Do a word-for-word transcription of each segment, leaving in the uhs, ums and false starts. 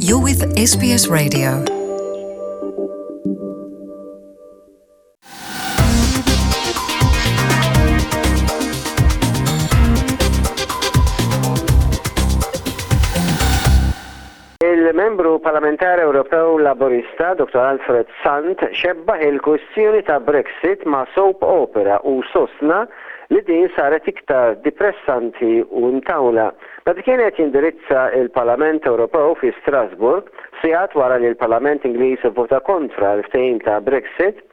You're with S B S Radio. Il-membru parlamentari Ewropew Laburista Doktor Alfred Sant xebbaħ il-kwistjoni ta' Brexit ma' soap opera u sostna li din saret iktar depressanti u mtawla. Meta kien qed jindirizza il-Parlament Ewropew fi Strasburg, sigħat wara li l-Parlament Ingliż vota kontra l-ftehim ta' Brexit,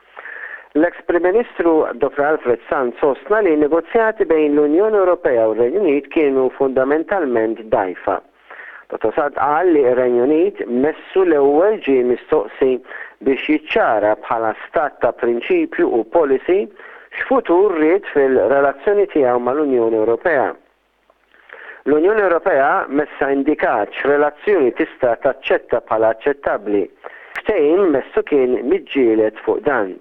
l-ex Prim Ministru Doktor Alfred Sant sostna li negozjati bejn l-Unjoni Ewropea u r-Renju Unit kienu fundamentalment dgħajfa. Doktor Sant qal li r-Renju Unit messu l-ewwel ġie mistoqsi biex jiċċara bħala stat ta' prinċipju u policy x'futur ried fil-relazzjoni tiegħu mal-Unjoni Ewropea. L-Unjoni Ewropea messa indikat x'relazzjoni tista' taċċetta bħala aċċettabbli. Ftehim messu kien miġġielet fuq dan.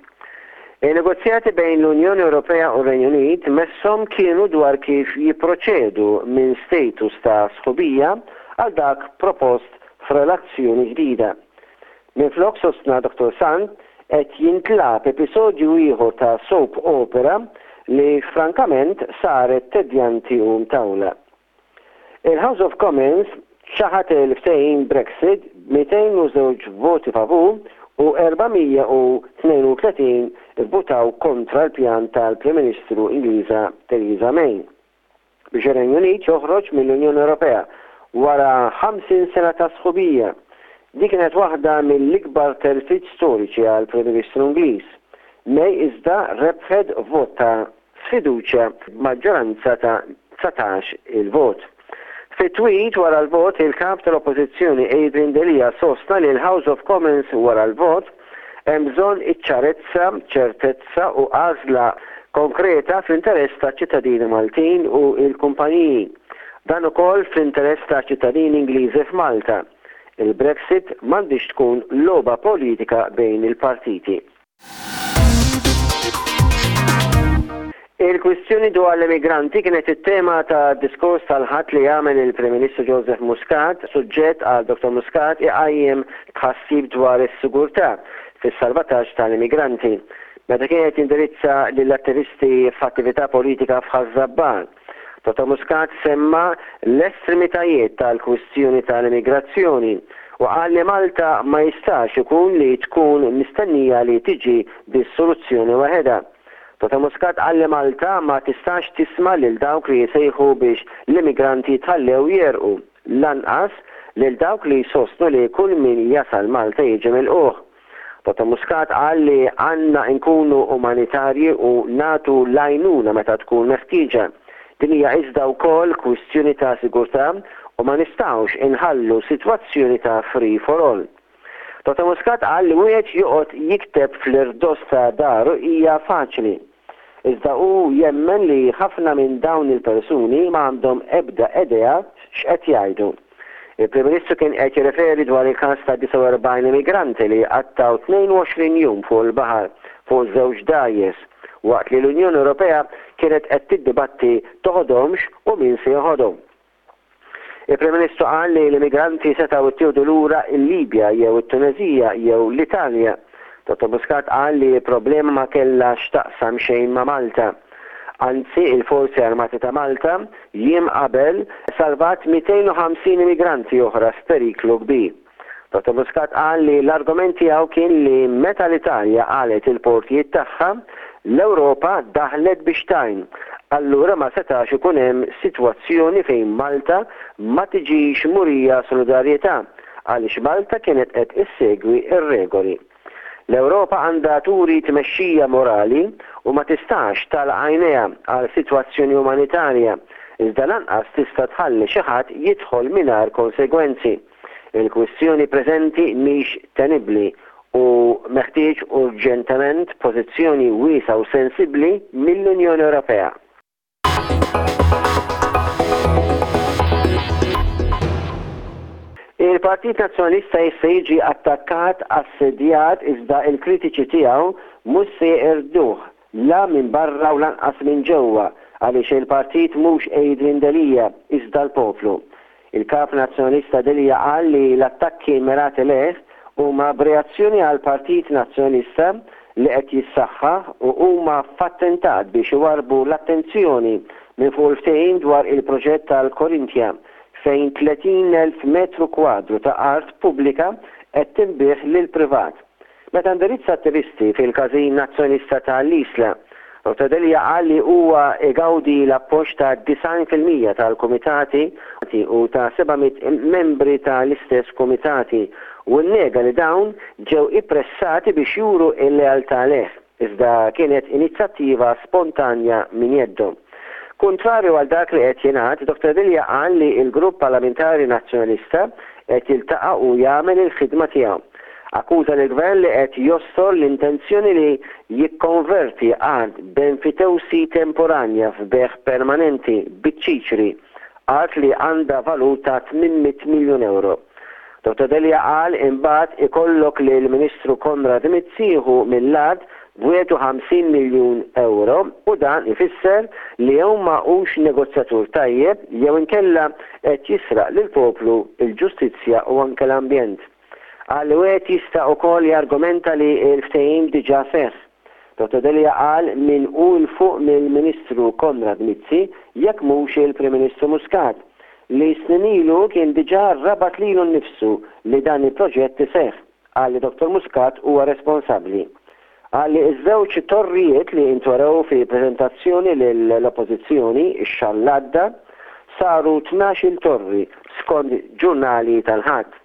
Il-negozjati bejn l-Unjoni Ewropea u r-Renju Unit messhom kienu dwar kif jipproċedu minn status ta' sħubija għal dak propost f'relazzjoni ġdida. Minflok, sostna Doktor Sant, qed jintlagħab episodju ieħor ta' soap opera li frankament saret tedjanti u mtawla. Il-House of Commons ċaħat il-ftehim Brexit b'mitejn u żewġ voti favur u erba' mija u tnejn u tletin votaw kontra l-pjan tal-Prim Ministru Ingliża Theresa May biex ir-Renju Unit joħroġ mill-Unjoni Ewropea wara ħamsin sena ta' sħubija. Din kienet waħda mill-ikbar telfiet storiċi għal Prim Ministru Ingliż. May iżda rebħet vot ta' sfiduċja b'maġġoranza ta' dsatax il-vot. Fi tweet wara l-vot, il-kap tal-Oppożizzjoni Adrian Delia sostna li l-House of Commons wara l-vot hemm bżonn iċ-ċarezza, ċertezza u għażla konkreta fl-interess ta' ċittadini Maltin u il-kumpaniji. Dan ukoll fl-interess ta' ċittadini Ingliżi f'Malta. Il-Brexit m'għandix tkun logħba politika bejn il-partiti. Il-kwistjoni dwar l-immigranti kienet it-tema ta' diskors tal-Ħadd li għamel il-Prim Ministru Joseph Muscat, suġġett għal Doktor Muscat iqajjem tħassib dwar is-sigurtà fis-salvataġġ tal-immigranti. Meta kienet jindirizza lill-attivisti f'attività politika f'Ħaż-Żabbar, Doktor Muscat semma l-estremitajiet tal-kwistjoni tal-immigrazzjoni u qal li Malta ma jistax ikun li tkun mistennija li tiġi bis-soluzzjoni waħedha. Doktor Muscat qal li Malta ma tistax tisma' lil dawk li jsejħu biex l-immigranti jitħallew jegħrqu, lanqas lil dawk li jsostnu li kull min jasal Malta jiġi milqugħ. Doktor Muscat qal li għandna nkunu umanitarji u nagħtu l-għajnuna meta tkun meħtieġa. Din hija iżda wkoll kwistjoni ta' sigurtà u ma nistgħux inħallu sitwazzjoni ta' free for all. Doktor Muscat qal li wieħed joqgħod jikteb fl-irdos ta' daru hija faċli. Iżda hu jemmen li ħafna minn dawn il-persuni ma għandhom ebda idea x'qed jgħidu. Il-Prim Ministru kien qed jirreferi dwar il-każ ta' disgħa u erbgħin immigranti li qattgħu tnejn u għoxrin jum fuq il-baħar fuq żewġ dgħajjes waqt li l-Unjoni Ewropea kienet qed tiddibatti toħodhomx u min se joħodhom. Il-Prim Ministru qal li l-immigranti setgħu ittieħdu lura il-Libja jew it-Tunezija jew l-Italja. Doktor Muscat qal li l-problema ma kellha x'taqsam xejn ma' Malta. Anzi, il-Forzi Armati ta' Malta jiem qabel salvat mitejn u ħamsin immigranti oħra f'periklu kbir. Doktor Muscat qal li l-argument tiegħu kien li meta l-Italja għalqet il-portijiet tagħha, l-Ewropa daħlet biex tgħin. Allura ma setax ikun hemm sitwazzjoni fejn Malta ma tiġix murija solidarjetà għaliex Malta kienet qed issegwi ir-regoli. L-Ewropa għandha turi tmexxija morali u ma tistax tagħlaq għajnejha għal sitwazzjoni umanitarja, iżda lanqas tista' tħalli xi ħadd jidħol mingħajr konsegwenzi. Il-kwistjoni preżenti mhix tenibbli u meħtieġ urġentement pożizzjoni wiesgħa u sensibbli mill-Unjoni Ewropea. Il-Partit Nazzjonalista jista' jiġi attakkat, assedjat, iżda il-kritiċi tiegħu mhux se jeqirduh la minn barra u lanqas minn ġewwa għaliex il-partit mhux Adrian Delia iżda l-poplu. Il-Kap Nazzjonalista Delia qal li l-attakki mirati lejh huma b'reazzjoni għal Partit Nazzjonalista li qed jissaħħaħ u huma f'attentat biex iwarbu l-attenzjoni minn fuq il-ftehim dwar il-proġett tal-Korinthia fejn tletin elf metru kwadru ta' art pubblika qed tinbiegħ lil privat. Meta indirizza attivisti fil-Każin Nazzjonalista ta' l-Isla, Dottor Delia qal li huwa igawdi l-appoġġ ta' disgħin fil-mija tal-kumitati u ta' seba' mitt membri tal-istess kumitati u nnega li dawn ġew ippressati biex juru il-lealtà leh, iżda kienet inizjattiva spontanja minn jeddhom. Kontrarju għal dak li qed jingħad, Dottor Delia qal li l-Grupp Parlamentari Nazzjonalista qed jiltaqa' u jagħmel il-ħidma tiegħu. Akkuża l-gvern li qed jostor l-intenzjoni li jikkonverti art b'enfitewsi temporanja f'bejgħ permanenti biċ-ċiċri, art li għandha valur ta' tmien mitt miljun euro. Dottor Delia qal imbagħad ikollok li l-Ministru Konrad Mizzi jieħu mill-art b'wieħed u ħamsin miljun euro u dan ifisser li jew ma hux negozjatur tajjeb jew inkella qed jisraq lill-poplu, il-ġustizzja u anke l-ambjent. Qal li wieħed jista' ukoll jargumenta li l-ftehim diġà seħħ. Dottor Delia qal min hu 'l fuq mill-Ministru Konrad Mizzi jekk mhux il-Prim Ministru Muscat, li snin ilu kien diġà rabat lilu nnifsu li dan il-proġett iseħħ. Qal li Dottor Muscat huwa responsabbli. Qal li iż-żewġ torrijiet li intwerew fi prezentazzjoni lill-Oppożizzjoni ix-xahar l-għadda saru tnax-il torri skont ġurnali tal-Ħadd.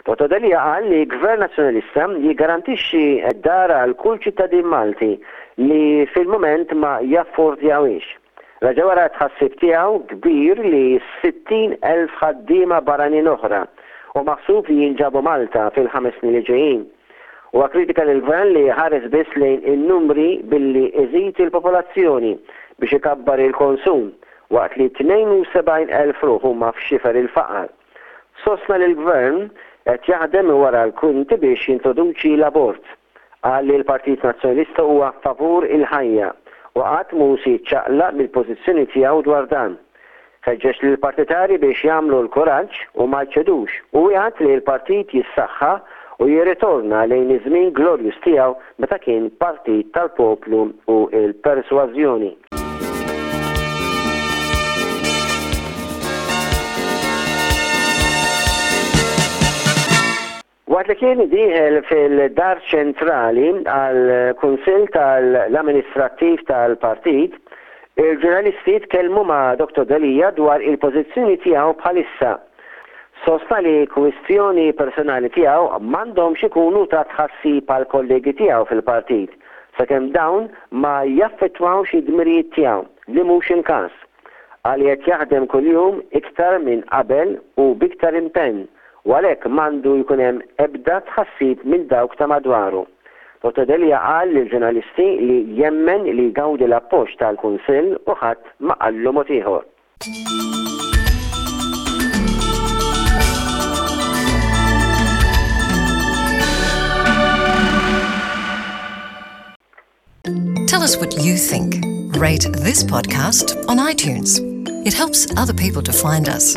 Dottor Delia qal li Gvern Nazzjonalista jiggarantixxi dar għal kull ċittadin Malti li fil-moment ma jaffordjawhiex. Reġa' wera tħassib tiegħu kbir li sittin elf ħaddiema barranin oħra u maħsub li jinġabu Malta fil-ħames snin li ġejjin. U kritika l-gvern li ħares biss lejn in-numri billi iżid il-popolazzjoni biex ikabbar il-konsum waqt li tnejn u sebgħin elf ruħ huma f'xifer il-faqar. Sostna li l-gvern qed jaħdem wara l-kwinti biex jintroduċi l-abort. Qal li l-Partit Nazzjonalista huwa favur il-ħajja u qatt mhu se jiċċaqlaq mill-pożizzjoni tiegħu dwar dan. Ħeġġeġ lill-partitari biex jagħmlu l-kuraġġ u ma jċedux u wiegħed li l-partit jissaħħaħ u jirritorna lejn iż-żmien glorjuż tiegħu meta kien partit tal-poplu u il-persważjoni. Waqt li kien dieħel fil-Dar Ċentrali għal Kunsill tal-Amministrattiv tal-Partit, il-ġurnalisti tkellmu ma' Dottor Delia dwar il-pożizzjoni tiegħu bħalissa. Sostna li kwistjoni personali tiegħu m'għandhomx ikunu ta' tħassib għal kollegi tiegħu fil-partit, sakemm dawn ma jaffettwawx id-dmirijiet tiegħu, li mhux il-każ. Qal qed jaħdem kuljum iktar minn qabel u biktar impenn u għalhekk m'għandu jkun hemm ebda tħassib minn dawk ta' madwaru. Dottor Delia qal lill-ġurnalisti li jemmen li jgawdi l-appoġġ tal-Kunsill u ħadd ma qallu mod ieħor. Tell us what you think. Rate this podcast on iTunes. It helps other people to find us.